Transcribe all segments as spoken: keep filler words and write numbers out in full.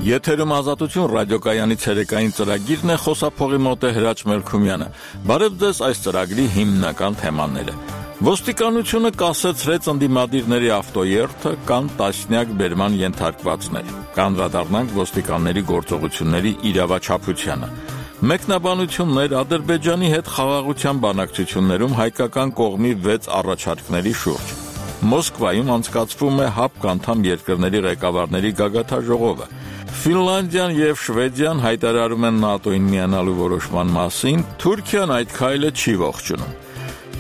Եթերում Ազատություն ռադիոկայանի ցերեկային ծրագիրն է, խոսափողի մոտ է Հրաչ Մելքումյանը։ Բարև ձեզ, այս ծրագրի հիմնական թեմաները։ Ոստիկանությունը կասեցրեց ընդդիմադիրների ավտոերթը, կան տասնյակ բերման ենթարկվածներ։ Կանդրադառնանք ոստիկանների գործողությունների իրավաչափությանը։ Մեկնաբանություններ Ադրբեջանի հետ խաղաղության բանակցություններում հայկական կողմի վեց առաջարկների շուրջ։ Մոսկվայում անցկացվում է ՀԱՊԿ անդամ երկրների ղեկավարների գագաթաժողովը։ Ֆինլանդիան եւ Շվեդիան հայտարարում են ՆԱՏՕ-ին միանալու որոշման մասին, Թուրքիան այդ քայլը չի ողջունում։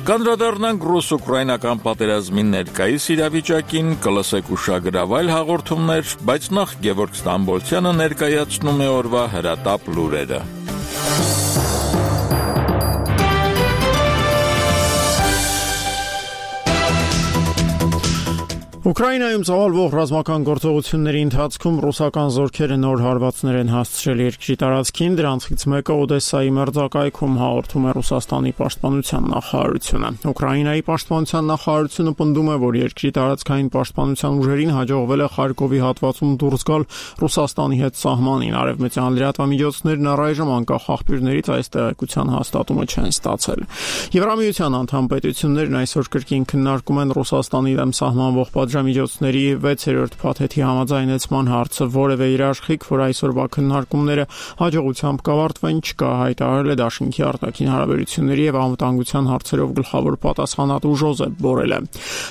Կանդրադառնանք ռուս-ուկրաինական պատերազմի ներկայիս իրավիճակին, կլսեք ուշագրավ այլ հաղորդումներ, բայց նախ Գևորգ Ստամբոլցյանը ներկայացնում է օրվա հրատապ լուրերը։ Ուկրաինայում ծավալվող ռազմական գործողությունների ընթացքում ռուսական զորքերը նոր հարվածներ են հասցրել երկրի տարածքին, դրանցից մեկը Օդեսայի մերձակայքում, հաղորդում է Ռուսաստանի պաշտպանության նախարարությունը։ Ուկրաինայի պաշտպանության նախարարությունը պնդում է, որ երկրի տարածքային պաշտպանության ուժերին հաջողվել է Խարկովի հատվածում դուրս գալ Ռուսաստանի հետ սահմանին։ Արևմտյան լրատվամիջոցներն առայժմ անկախ աղբյուրներից այս տեղեկության հաստատումը չեն ստացել։ Եվրամիության անդամ պետություններն այսօր կրկին քննարկում են Ռուսաստանի դեմ սահմանվող միջոցների վեցերորդ փաթեթի համաձայնեցման հարցը, որևէ երաշխիք, որ այսօրվա քննարկումները հաջողությամբ կավարտվեն, չկա, հայտարարել է Դաշինքի արտաքին հարաբերությունների եւ անվտանգության հարցերով գլխավոր պատասխանատու Ժոզեփ Բորելը։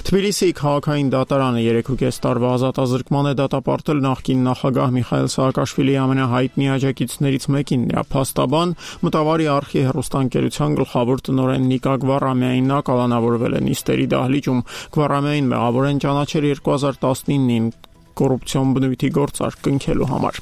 Թբիլիսիի քաղաքային դատարանը երեքուկես տարվա ազատազրկման է դատապարտել նախկին նախագահ Միխայիլ Սաակաշվիլիի ամենահայտնի աջակիցներից մեկին, նրա փաստաբան, Մտավարի արխի հեռուստաընկերության գլխավոր տնօրեն Նիկա Գվարամյանին։ Նա կալանավորվել է նիստերի դահլիճում։ Գվարամյանին մեղավոր են ճանաչել երկու հազար տասնինին կոռուպցիոն բնույթի գործարք կնքելու համար։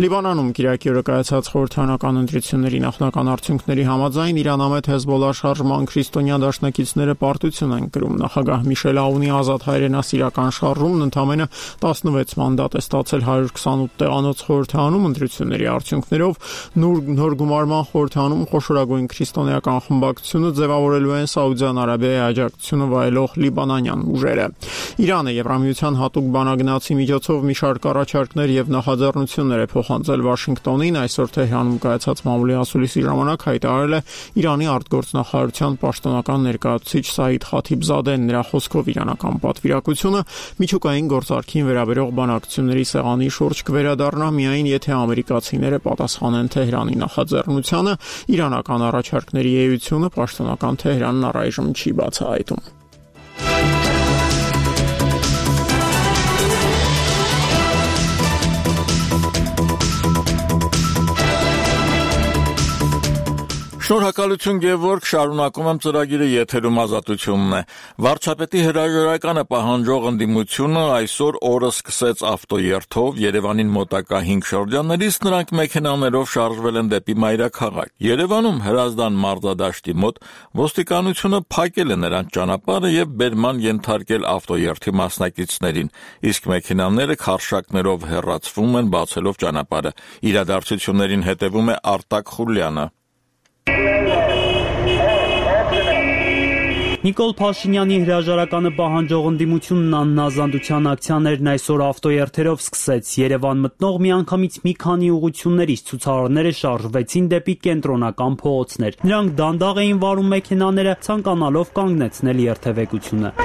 Լիբանանում Կիրակի օրը կայացած խորհրդարանական ընտրությունների նախնական արդյունքների համաձայն Իրանամետ Հեզբոլլա շարժման քրիստոնյա դաշնակիցները պարտություն են կրում։ Նախագահ Միշել Աունի ազատ հայրենասիրական շարժումն ընդամենը տասնվեց մանդատ է ստացել հարյուր քսանութ տեղանոց խորհրդարանում ընտրությունների արդյունքներով նոր գումարման խորհրդարանում խոշորագույն քրիստոնեական խմբակցությունը ձևավորելու են Սաուդյան Արաբիայի աջակցությունը վայելող լիբանանյան ուժերը։ Իրանը Եվրամիության հատուկ բանագնացի միջոցով մի շարք առաջարկներ եւ նախաձեռնություններ է փոխանցել Վաշինգտոնին։ Այսօր Թեհրանում կայացած մամուլի ասուլիսի ժամանակ հայտարարել է Իրանի արտգործնախարարության պաշտոնական ներկայացուցիչ Սաիդ Խաթիբզադեն։ Նրա խոսքով իրանական պատվիրակությունը միջուկային գործարքին վերաբերող բանակցությունների սեղանի շուրջ կվերադառնա միայն եթե ամերիկացիները պատասխանեն Թեհրանի նախաձեռնությանը։ Իրանական առաջարկների էությունը պաշտոնական Թեհրանն առայժմ չի բացահայտում։ Շնորհակալություն Գևորգ, շարունակում եմ ծրագիրը, եթերում Ազատությունն է։ Վարչապետի հրաժարականը պահանջող ընդդիմությունը այսօր օրը սկսեց ավտոերթով Երևանին մոտակա հինգ շրջաններից, նրանք մեքենաներով շարժվել են դեպի մայրաքաղաք։ Երևանում Հրազդան մարզադաշտի մոտ ոստիկանությունը փակել է նրանց ճանապարհը եւ բերման ենթարկել ավտոերթի մասնակիցներին, իսկ մեքենաները քարշակներով հեռացվում են, բացելով ճանապարհը։ Իրադարձություններին հետևում է Արտակ Խուլյանը։ Նիկոլ Փաշինյանի հրաժարականը պահանջող ընդդիմությունն աննազանդության ակցիաներն այսօր ավտոերթերով սկսեց։ Երևան մտնող միանգամից մի քանի ուղղություններից ցուցարարները շարժվեցին դեպի կենտրոնական փողոցներ։ Նրանք դանդաղ էին վարում մեքենաները, ցանկանալով կանգնեցնել երթևեկությունը։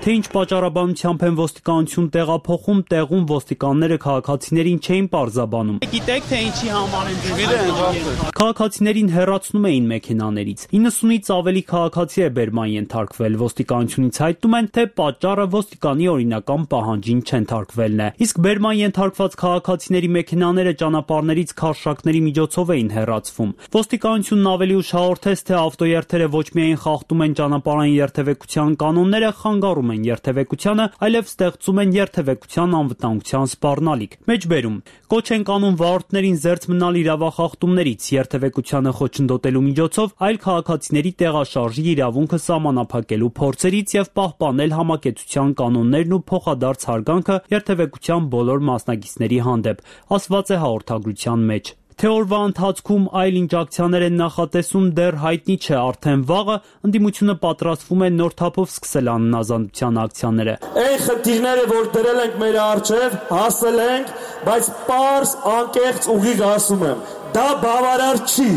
Թե ինչ պատճառաբանությամբ են ոստիկանություն տեղափոխում, տեղում ոստիկանները քաղաքացիներին չէին պարզաբանում։ Գիտեք, թե ինչի համար են ձեզ։ Քաղաքացիներին հեռացնում էին մեքենաներից։ իննսունից ավելի քաղաքացի է բերման ենթարկվել։ Ոստիկանությունից հայտնում են, թե պատճառը ոստիկանի օրինական պահանջին չընթարկվելն է։ Իսկ բերման ենթարկված քաղաքացիների մեքենաները ճանապարհներից քարշակների միջոցով էին հեռացվում։ Ոստիկանությունն ավելի ուշ հաղորդեց, թե ավտոերթերը ոչ միայն խախտում են ճանապարհային երթևեկության կանոնները, խանգարում են երթևեկությանը, այլև ստեղծում են երթևեկության անվտանգության սպառնալիք։ Մեջբերում կոչ են կանում վարորդներին զերծ մնալ իրավախախտումներից, երթևեկությանը խոչընդոտելու միջոցով այլ քաղաքացիների տեղաշարժի իրավունքը սահմանափակելու փորձերից եւ պահպանել համակեցության կանոններն ու փոխադարձ հարգանքը երթևեկության բոլոր մասնակիցների հանդեպ, ասված է հաղորդագրության մեջ։ Թե օրվա ընթացքում այլ ինչ ակցիաներ են նախատեսում դեռ հայտնի չէ, արդեն վաղը ընդդիմությունը պատրաստվում է նոր թափով սկսել անհնազանդության ակցիաները։ Այն խնդիրները, որ դրել ենք մեր առջև, հասել ենք, բայց պարզ անկեղծ ուղիղ ասում եմ, դա բավարար չի։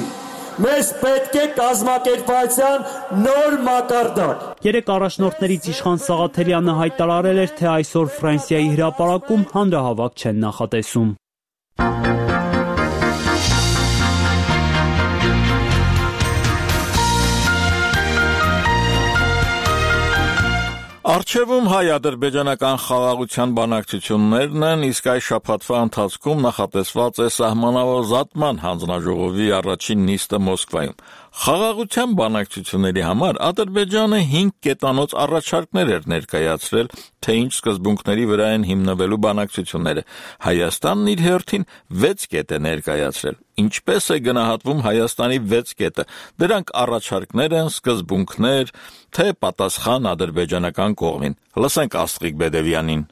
Մեզ պետք է կազմակերպվածության նոր մակարդակ։ Երեք առաջնորդներից Իշխան Սաղաթելյանը հայտարարել էր, թե այսօր Ֆրանսիայի հրապարակում հանրահավաք չեն նախատեսում։ Առջևում հայ-ադրբեջանական խաղաղության բանակցություններն են, իսկ այս շաբաթվա ընթացքում նախատեսված է սահմանազատման հանձնաժողովի առաջին նիստը Մոսկվայում։ Խաղաղության բանակցությունների համար Ադրբեջանը հինգ կետանոց առաջարկներ էր ներկայացրել, թե ինչ սկզբունքների վրա են հիմնվելու բանակցությունները։ Հայաստանն իր հերթին վեց կետ է ներկայացրել։ Ինչպես է գնահատվում Հայաստանի վեց կետը։ Դրանք առաջարկներ են, սկզբունքներ, թե պատասխան ադրբեջանական կողմին։ Լսենք Աստղիկ Բեդևյանին։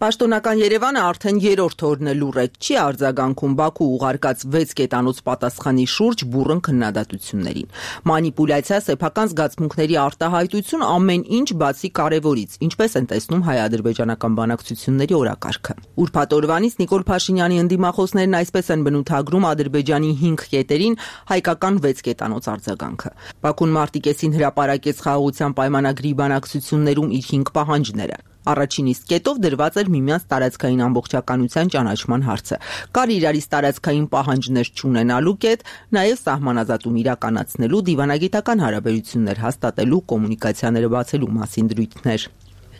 Պաշտոնական Երևանը արդեն երրորդ օրն է լուռ է, չի արձագանքում Բաքու ուղարկած վեց կետանոց պատասխանի շուրջ բուռն քննադատություններին։ Մանիպուլյացիա, սեփական զգացմունքների արտահայտություն ամեն ինչ բացի կարևորից, ինչպես են տեսնում հայ-ադրբեջանական բանակցությունների օրակարգը։ Ուրբաթ օրվանից Նիկոլ Փաշինյանի ընդդիմախոսներն այսպես են բնութագրում Ադրբեջանի հինգ կետերին հայկական վեց կետանոց արձագանքը։ Բաքուն մարտի կեսին հրապարակեց խաղաղության պայմանագրի բանակցություններում իր հինգ պահանջները։ Առաջին իսկ կետով դրված էր միմյանց տարածքային ամբողջականության ճանաչման հարցը։ Կար իրարից տարածքային պահանջներ չունենալու կետ, նաև սահմանազատում իրականացնելու, դիվանագիտական հարաբերություններ հաստատելու, կոմունիկացիաները բացելու մասին դրույթներ։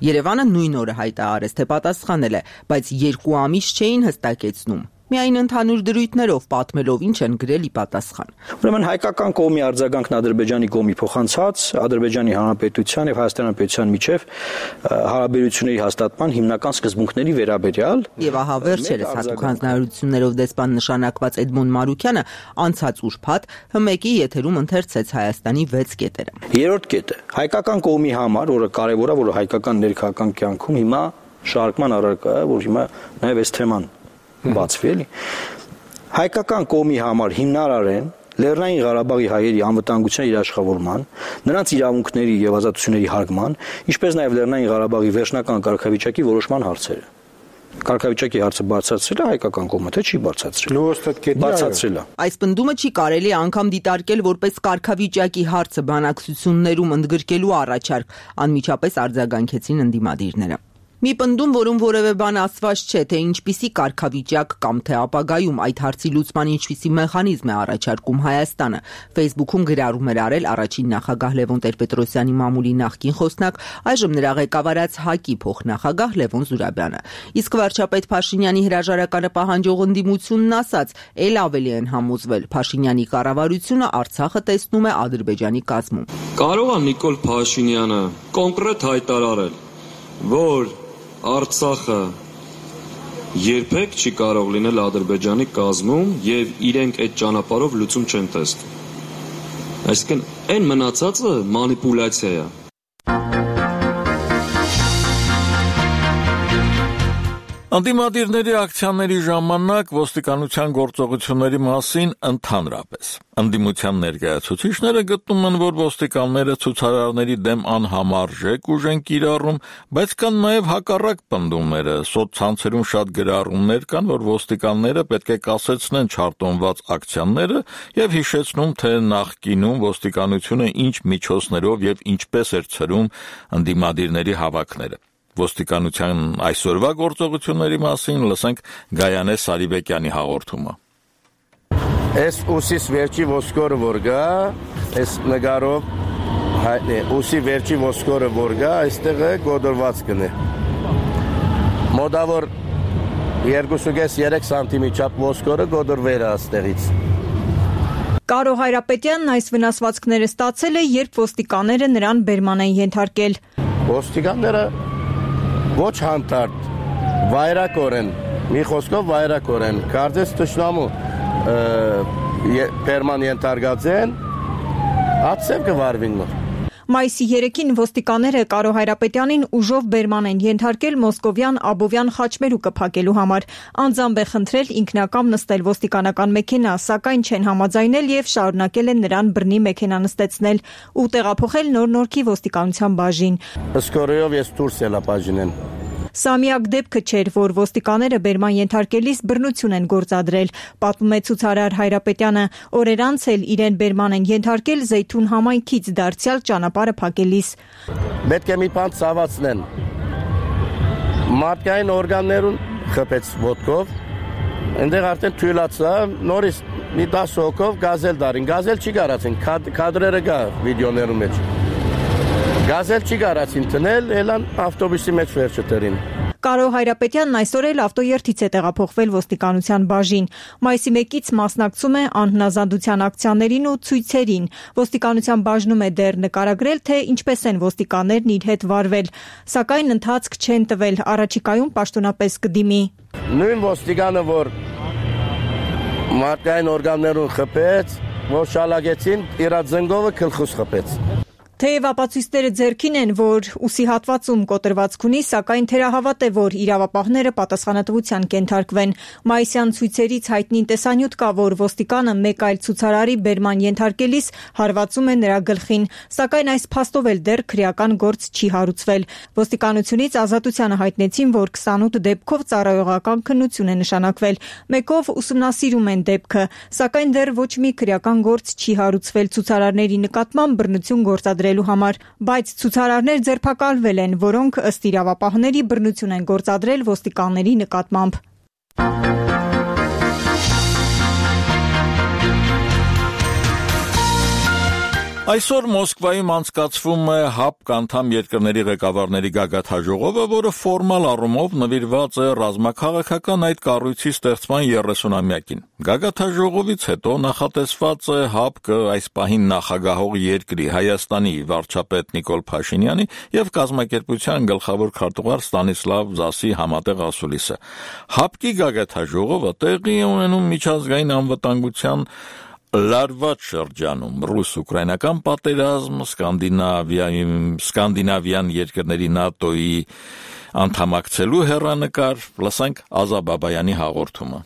Երևանը նույն օրը հայտարարեց, թե պատասխանել է, բայց երկու ամիս չէին հստակեցնում։ Միայն ընդհանուր դրույթներով պատմելով ինչ են գրել ի պատասխան։ Ուրեմն հայկական կողմի արձագանքն Ադրբեջանի կողմի փոխանցած Ադրբեջանի Հանրապետության եւ Հայաստանի Հանրապետության միջև հարաբերությունների հաստատման հիմնական սկզբունքների վերաբերյալ եւ ահա վերջերս հատուկ հանձնարարություններով դեսպան նշանակված Էդմոն Մարուկյանը անցած ուրբաթ հմեկի եթերում ընթերցեց Հայաստանի վեց կետերը։ Երրորդ կետը հայկական կողմի համար, որը կարեւոր է, որը հայկական ներքաղաքական կյանքում հիմա շարժման առարկա է, որ հիմա նաեւ այս թեման բացվի էլի հայկական կողմի համար հիմնարար են Լեռնային Ղարաբաղի հայերի անվտանգության երաշխավորման, նրանց իրավունքների եւ ազատությունների հարգման, ինչպես նաեւ Լեռնային Ղարաբաղի վերջնական կարգավիճակի որոշման հարցերը։ Կարգավիճակի հարցը բարձրացրել է հայկական կողմը, թե չի բարձրացրել։ Բարձրացրել է։ Այս պնդումը չի կարելի անգամ դիտարկել որպես կարգավիճակի հարցը բանակցություններում ընդգրկելու առաջարկ, անմիջապես արձագանքեցին ընդդիմադիրները։ Մի պնդում, որում որևէ բան ասված չէ, թե ինչպիսի կարգավիճակ կամ թե ապագայում այդ հարցի լուծման ինչպիսի մեխանիզմ է առաջարկում Հայաստանը։ Facebook-ում գրառում էր արել առաջին նախագահ Լևոն Տեր-Պետրոսյանի մամուլի նախկին խոսնակ, այժմ նրա ղեկավարած ՀԱԿ-ի փոխնախագահ Լևոն Զուրաբյանը։ Իսկ վարչապետ Փաշինյանի հրաժարականը պահանջող ընդդիմությունն ասաց, ել ավելի են համոզվել, Փաշինյանի կառավարությունը Արցախը տեսնում է Ադրբեջանի կազմում։ Կարող է Նիկոլ Փաշինյանը կոնկրետ հայտարարել, որ Արցախը երբեք չի կարող լինել Ադրբեջանի կազմում եւ իրենք այդ ճանապարհով լուծում չեն տեսնում։ Այսինքն այն մնացածը մանիպուլյացիա է։ Ընդդիմադիրների ակցիաների ժամանակ ոստիկանության գործողությունների մասին ընդհանրապես ընդդիմության ներկայացուցիչները գտնում են, որ ոստիկանները ցուցարարների դեմ անհամարժեք ուժ են կիրառում, բայց կան նաև հակառակ պնդումները։ Սոցցանցերում շատ գրառումներ կան, որ ոստիկանները պետք է կասեցնեն չարտոնված ակցիաները եւ հիշեցնում, թե նախկինում ոստիկանությունը ինչ միջոցներով եւ ինչպես էր ցրում ընդդիմադիրների հավաքները։ Ոստիկանության այսօրվա գործողությունների մասին լսենք Գայանե Սարիբեկյանի հաղորդումը։ Այս ուսիս վերջի ոսկորը որ գա, այս նկարով հայտնի ուսի վերջի ոսկորը որ գա, այստեղ է գոդորված կնե։ Մոդավոր երկու սանտիմետր չափ ոսկորը գոդորվել է այստեղից։ Կարո Հայրապետյանն այս վնասվածքները ստացել է, երբ ոստիկանները նրան բերման են ենթարկել։ Ոստիկանները ոչ հանդարտ, վայրակորեն, մի խոսքով վայրակորեն, կարծես թշնամու բերման ենթարկած են, ացև կվարվին մոր։ Մայիսի երեքին ոստիկանները Կարո Հայրապետյանին ուժով բերման են ենթարկել Մոսկովյան Աբովյան խաչմերուկը փակելու համար։ Անձամբ է խնդրել ինքնակամ նստել ոստիկանական մեքենա, սակայն չեն համաձայնել եւ շարունակել են նրան բռնի մեքենա նստեցնել ու տեղափոխել Նոր Նորքի ոստիկանության բաժին։ Սկորեով ես դուրս ելա բաժինեն։ Սա միակ դեպքը չէր, որ ոստիկանները բերման ենթարկելիս բռնություն են գործադրել, պատմում է ցուցարար Հայրապետյանը, օրեր անց էլ իրեն բերման են ենթարկել Զեյթուն համայնքից դարձյալ ճանապարհը փակելիս։ Պետք է մի բան ցավացնեն։ Մարդկային օրգաններուն խփեց ոտքով, այնտեղ արդեն թույլացա, նորից մի տասը հոգով գազել դարին, գազել չի կարացին, կադրերը կա վիդեոներում մեջ։ Գազել չի կարացին տնել, ելան ավտոբուսի մեջ վերջը տերին։ Կարո Հայրապետյանն այսօր էլ ավտոերթից է տեղափոխվել ոստիկանության բաժին։ Մայիսի մեկից մասնակցում է անհնազանդության ակցիաներին ու ցույցերին։ Ոստիկանության բաժնում է դեռ նկարագրել, թե ինչպես են ոստիկաններն իր հետ վարվել, սակայն ընթացք չեն տվել, առաջիկայում պաշտոնապես կդիմի։ Նույն ոստիկանը, որ մարդկային օրգաններուն խփեց, որ շալագեցին, իր զնգովը գլխուց խփեց։ Թեև ապացույցները ձեռքին են, որ ուսի հատվածում կոտրվածք ունի, սակայն թերահավատ է, որ իրավապահները պատասխանատվության կենթարկվեն։ Մայիսյան ցույցերից հայտնի տեսանյութ կա, որ ոստիկանը մեկ այլ ցուցարարի բերման ենթարկելիս հարվածում է նրա գլխին, սակայն այս փաստով էլ դեռ քրեական գործ չի հարուցվել։ Ոստիկանությունից ազատությանը հայտնեցին, որ քսանութ դեպքով ծառայողական քննություն է նշանակվել։ Մեկով ուսումնասիրում են դեպքը, սակայն դեռ ոչ մի քրեական գործ չի հարուցվել ցուցարարների նկատմամբ բռնություն գործադրել համար, բայց ցուցարարներ ձերբակալվել են, որոնք ըստ իրավապահների բռնություն են գործադրել ոստիկանների նկատմամբ։ Այսօր Մոսկվայում անցկացվում է ՀԱՊԿ անդամ երկրների ղեկավարների գագաթնաժողովը, որը ֆորմալ առումով նվիրված է ռազմաքաղաքական այդ կառույցի ստեղծման երեսունամյակին։ Գագաթնաժողովից հետո նախատեսված է ՀԱՊԿ այս պահին նախագահող երկրի Հայաստանի վարչապետ Նիկոլ Փաշինյանի եւ կազմակերպության գլխավոր քարտուղար Ստանիսլավ Զասի համատեղ ասուլիսը։ ՀԱՊԿ-ի գագաթնաժողովը տեղի է ունենում միջազգային անվտանգության լարված շրջանում ռուս-ուկրաինական պատերազմ, սկանդինավյան երկրների ՆԱՏՕ-ի անդամակցելու հեռանկար, լսենք Ազա Բաբայանի հաղորդումը։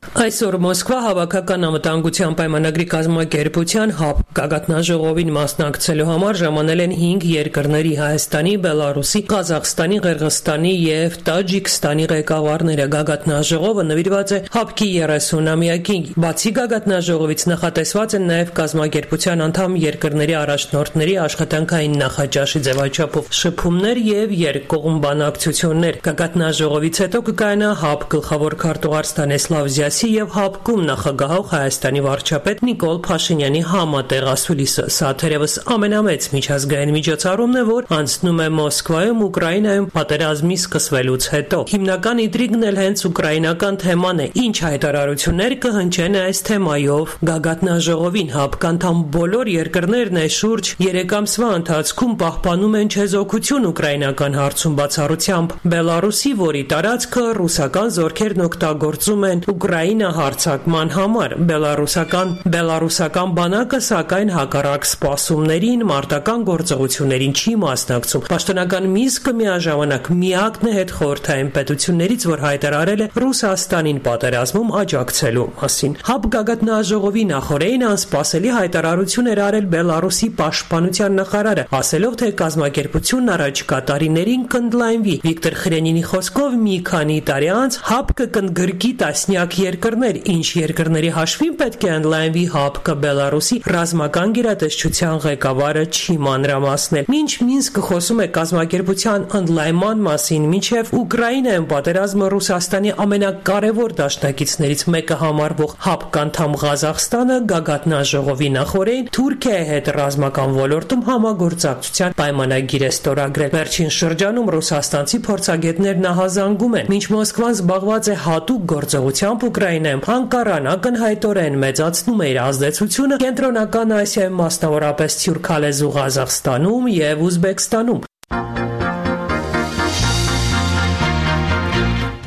Այսօր Մոսկվա հավաքական անվտանգության պայմանագրի կազմակերպության ՀԱՊԿ գագաթնաժողովին մասնակցելու համար ժամանել են հինգ երկրների Հայաստանի, Բելարուսի, Ղազախստանի, Ղырղызստանի եւ Տաջիկստանի ղեկավարները։ Գագաթնաժողովը նվիրված է ՀԱՊԿ-ի երեսունամյակին։ Բացի գագաթնաժողովից նախատեսված են նաեւ կազմակերպության անդամ երկրների առաջնորդների աշխատանքային նախաճաշի ձևաչափով շփումներ եւ երկկողմ բանակցություններ։ Գագաթնաժողովից հետո կկայանա ՀԱՊԿ գլխավոր քարտուղար Ստանիսլավ Զասի եւ ՀԱՊԿ-ում նախագահող Հայաստանի վարչապետ Նիկոլ Փաշինյանի համատեղ ասուլիսը։ Սա թերևս ամենամեծ միջազգային միջոցառումն է, որ անցնում է Մոսկվայում Ուկրաինայում պատերազմի սկսվելուց հետո։ Հիմնական ինտրիգն էլ հենց ուկրաինական թեման է։ Ինչ հայտարարություններ կհնչեն այս թեմայով գագաթնաժողովին։ ՀԱՊԿ անդամ բոլոր երկրներն այս շուրջ երեք ամսվա ընթացքում պահպանում են չեզոքություն ուկրաինական հարցում բացառությամբ Բելարուսի, որի տարածքը ռուսական զորքերն օգտագործում են Ուկրաինա հարձակման համար։ Բելարուսական Բելարուսական բանակը սակայն հակառակ սպասումներին մարտական գործողություններին չի մասնակցում։ Պաշտոնական Մինսկը միաժամանակ միակն է հետխորհրդային պետություններից, որ հայտարարել է Ռուսաստանին պատերազմում աջակցելու մասին։ ՀԱՊԿ գագաթնաժողովի նախօրեին անսպասելի հայտարարություն էր արել Բելարուսի պաշտպանության նախարարը, ասելով, թե կազմակերպությունն առաջիկա տարիներին կընդլայնվի։ Վիկտոր Խրենինի խոսքով մի քանի տարի անց ՀԱՊԿ կընդգրկի տասնյակ երկրներ, ինչ երկրների հաշվին պետք է ընդլայնվի ՀԱՊԿ Բելարուսի ռազմական գերատեսչության ղեկավարը չի մանրամասնել։ Մինչ Մինսկը խոսում է կազմակերպության ընդլայնման մասին, մինչև Ուկրաինայում պատերազմը Ռուսաստանի ամենակարևոր դաշնակիցներից մեկը համարվող ՀԱՊԿ անդամ Ղազախստանը գագաթնաժողովի նախօրեին Թուրքիայի հետ ռազմական ոլորտում համագործակցության պայմանագիր է ստորագրել։ Վերջին շրջանում ռուսաստանցի փորձագետներն ահազանգում են, մինչ Մոսկվան զբաղված է հատուկ գործողությամբ Ուկրաինայում, Անկարան ակնհայտորեն մեծացնում է իր ազդեցությունը Կենտրոնական Ասիայում, մասնավորապես Թյուրքալեզու Ղազախստանում եւ Ուզբեկստանում։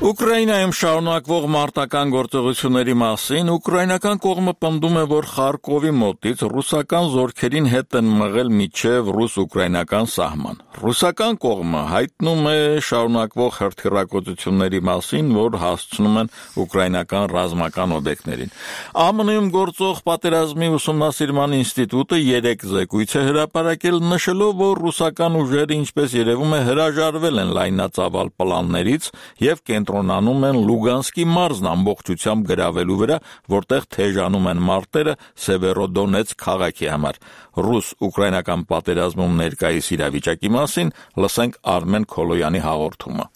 Ուկրաինայում շարունակվող մարտական գործողությունների մասին ուկրաինական կողմը պնդում է, որ Խարկովի մոտից ռուսական զորքերին հետ են մղել մինչև ռուս-ուկրաինական սահման։ Ռուսական կողմը հայտնում է շարունակվող հրթիռակոծությունների մասին, որ հասցնում են ուկրաինական ռազմական օբյեկտներին։ ԱՄՆ-ում գործող պատերազմի ուսումնասիրման ինստիտուտը երեք զեկույց է հրապարակել, նշելով, որ ռուսական ուժերը, ինչպես երևում է, հրաժարվել են լայնածավալ պլաններից եւ կենտրոնանում են Լուգանսկի մարզն ամբողջությամբ գրավելու վրա, որտեղ թեժանում են մարտերը Սևերոդոնեցկ քաղաքի համար։ Ռուս-ուկրաինական պատերազմում ներկայիս իրավիճակի մասին լսենք Արմեն Քոլոյանի հաղորդումը։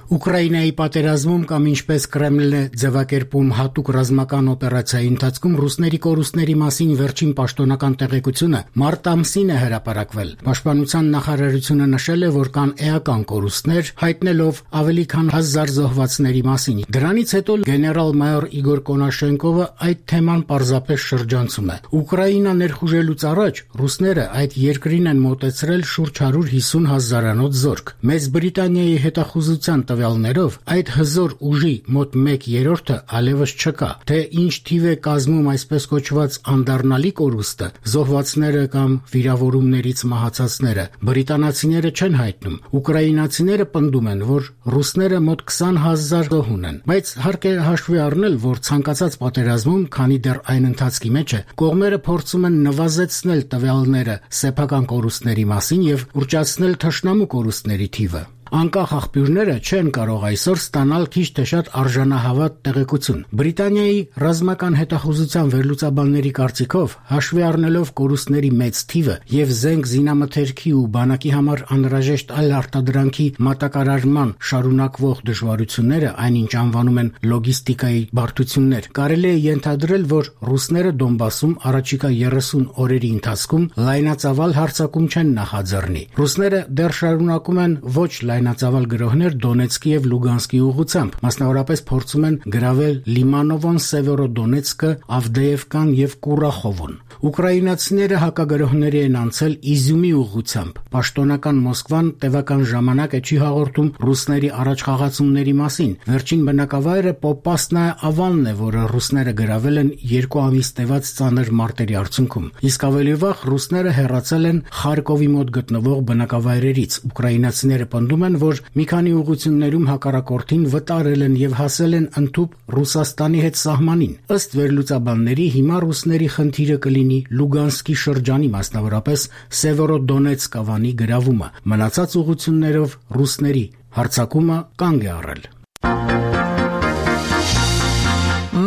Ուկրաինայի պատերազմում կամ ինչպես Կրեմլն է ձևակերպում հատուկ ռազմական օպերացիայի ընթացքում ռուսների կորուստների մասին վերջին պաշտոնական տեղեկությունը մարտ ամսին է հրապարակվել։ Պաշտպանության նախարարությունը նշել է, որ կան էական կորուստներ, հայտնելով ավելի քան հազար զոհվածների մասին։ Դրանից հետո գեներալ-մայոր Իգոր Կոնաշենկովը այդ թեման պարզապես շրջանցում է։ Ուկրաինա ներխուժելուց առաջ ռուսները այդ երկրին են մոտեցրել շուրջ հարյուր հիսուն հազարանոց զորք։ Մեծ Բրիտանիայի հետախուզության տվյալներով այդ հզոր ուժի մոտ մեկ երրորդը այլևս չկա։ Թե ինչ թիվ է կազմում այսպես կոչված անդառնալի կորուստը, զոհվածները կամ վիրավորումներից մահացածները, բրիտանացիները չեն հայտնում։ Ուկրաինացիները պնդում են, որ ռուսները մոտ քսան հազար զոհ ունեն, բայց հարկ է հաշվի առնել, որ ցանկացած պատերազմում, քանի դեռ այն ընթացքի մեջ է, կողմերը փորձում են նվազեցնել տվյալները սեփական կորուստների մասին եւ ուռճացնել թշնամու կորուստների թիվը։ Անկախ աղբյուրները չեն կարող այսօր ստանալ քիչ թե շատ արժանահավատ տեղեկություն։ Բրիտանիայի ռազմական հետախուզության վերլուծաբանների կարծիքով, հաշվի առնելով կորուստների մեծ թիվը եւ զենք զինամթերքի ու բանակի համար անհրաժեշտ այլ արտադրանքի մատակարարման շարունակվող դժվարությունները, այնինչ անվանում են լոգիստիկայի բարդություններ, կարելի է ենթադրել, որ ռուսները Դոնբասում առաջիկա երեսուն օրերի ընթացքում լայնածավալ հարձակում չեն նախաձեռնի։ Ռուսները դեռ շարունակում են ոչ լայնածավալ գրոհներ Դոնեցկի եւ Լուգանսկի ուղղությամբ, մասնավորապես փորձում են գրավել Լիմանովոն, Սևերոդոնեցկը, Ավդեևկան եւ Կուրախովոն։ Ուկրաինացիները հակագրոհների են անցել Իզյումի ուղղությամբ։ Պաշտոնական Մոսկվան տևական ժամանակ է չի հաղորդում ռուսների առաջխաղացումների մասին։ Վերջին բնակավայրը Պոպասնայա Ավանն է, որը ռուսները գրավել են երկու ամիս տևած ծանր մարտերի արդյունքում։ Իսկ ավելի վաղ ռուսները հեռացել են Խարկովի մոտ գտնվող բնակավայրերից։ Ուկրաինացիները պնդում են, որ մի քանի ուղղություններում հակառակորդին վտարել են եւ հասել են ընդհուպ Ռուսաստանի հետ սահմանին։ Ըստ վերլուծաբանների, հիմա ռուսների խնդիրը կլինի Լուգանսկի շրջանի, մասնավորապես Սևերոդոնեցկ ավանի գրավումը։ Մնացած ուղղություններով ռուսների հարձակումը կանգ է առել։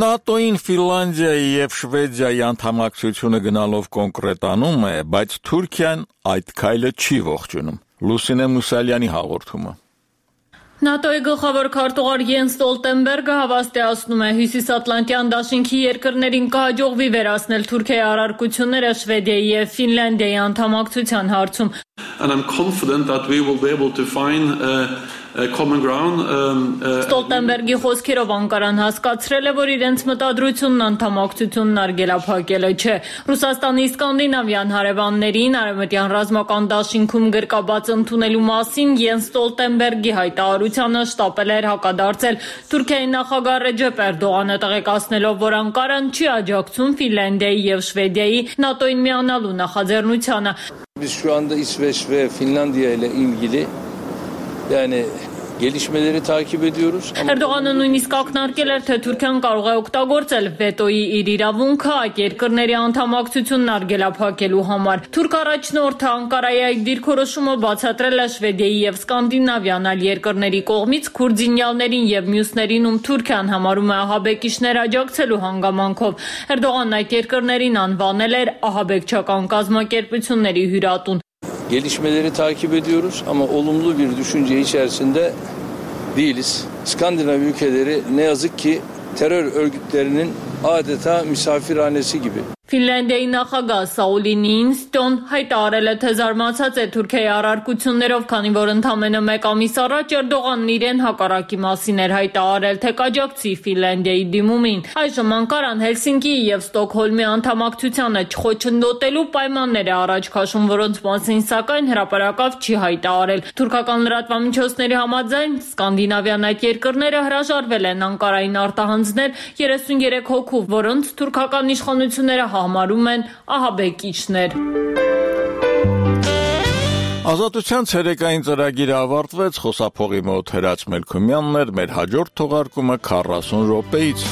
ՆԱՏՕ-ին Ֆինլանդիայի եւ Շվեդիայի անդամակցությունը գնալով կոնկրետանում է, բայց Թուրքիան այդ քայլը չի ողջունում։ Լուսինե Մուսալյանի հաղորդումը։ ՆԱՏՕ-ի գլխավոր քարտուղար Յենս Ստոլտենբերգը հավաստիացնում է Հյուսիսատլանտյան դաշինքի երկրներին կհաջողվի վերացնել Թուրքիայի առարկությունները Շվեդիայի եւ Ֆինլանդիայի անդամակցության հարցում։ And I'm confident that we will be able to find uh, a common ground. Ստոլտենբերգի խոսքերով Անկարան հասկացրել է, որ իրենց մտադրությունն անդամակցությունն արգելափակելը չէ։ Ռուսաստանի սկանդինավյան հարևաններին արևմտյան ռազմական դաշինքում գրկաբաց ընդունելու մասին Յենս Ստոլտենբերգի հայտարարությանը շտապել էր հակադարձել Թուրքիայի նախագահ Ռեջեփ Էրդողանը, տեղեկացնելով, որ Անկարան չի աջակցում Ֆինլանդիայի եւ Շվեդիայի ՆԱՏՕ-ին միանալու նախաձեռնությանը։ Biz şu anda İsveç ve Finlandiya ile ilgili yani gelişmeleri takip ediyoruz. Էրդողանը նույնիսկ ակնարկել էր, թե Թուրքիան կարող է օգտագործել վետոյի իր իրավունքը այդ երկրների անդամակցությունն արգելափակելու համար։ Թուրք առաջնորդը Անկարայի այդ դիրքորոշումը բացատրել է Շվեդիայի եւ Սկանդինավյան այլ երկրների կողմից քուրդինյալներին եւ մյուսներին, ում Թուրքիան համարում է ահաբեկիչներ աջակցելու հանգամանքով։ Էրդողանն այդ երկրներին anvanել էր ահաբեկչական կազմակերպությունների հյուրատուն։ Gelişmeleri takip ediyoruz ama olumlu bir düşünce içerisinde değiliz. Skandinav ülkeleri ne yazık ki terör örgütlerinin adeta misafirhanesi gibi. Ֆինլանդիայի նախագահ Սաուլի Նիինստոն հայտարարել է, թե զարմացած է Թուրքիայի առարկություններով, քանի որ ընդամենը մեկ ամիս առաջ Էրդողանն իրեն հակառակի մասին էր հայտարարել, թե կաջակցի Ֆինլանդիայի դիմումին։ Այժմ Անկարան Հելսինկիի եւ Ստոկհոլմի անդամակցությանը չխոչընդոտելու պայմաններ է առաջ քաշում, որոնց մասին սակայն հրապարակավ չի հայտարարել։ Թուրքական լրատվամիջոցների համաձայն սկանդինավյան այդ երկրները հրաժարվել են Անկարային արտահանձնել երեսունյերեք հոգու, որոնց թուրքական իշխանությունները համարում են ահաբեկիչներ։ Ազատության ցերեկային ծրագիրը ավարտվեց, խոսափողի մոտ Հրաչ Մելքումյանն էր, մեր հաջորդ թողարկումը քառասուն րոպեից։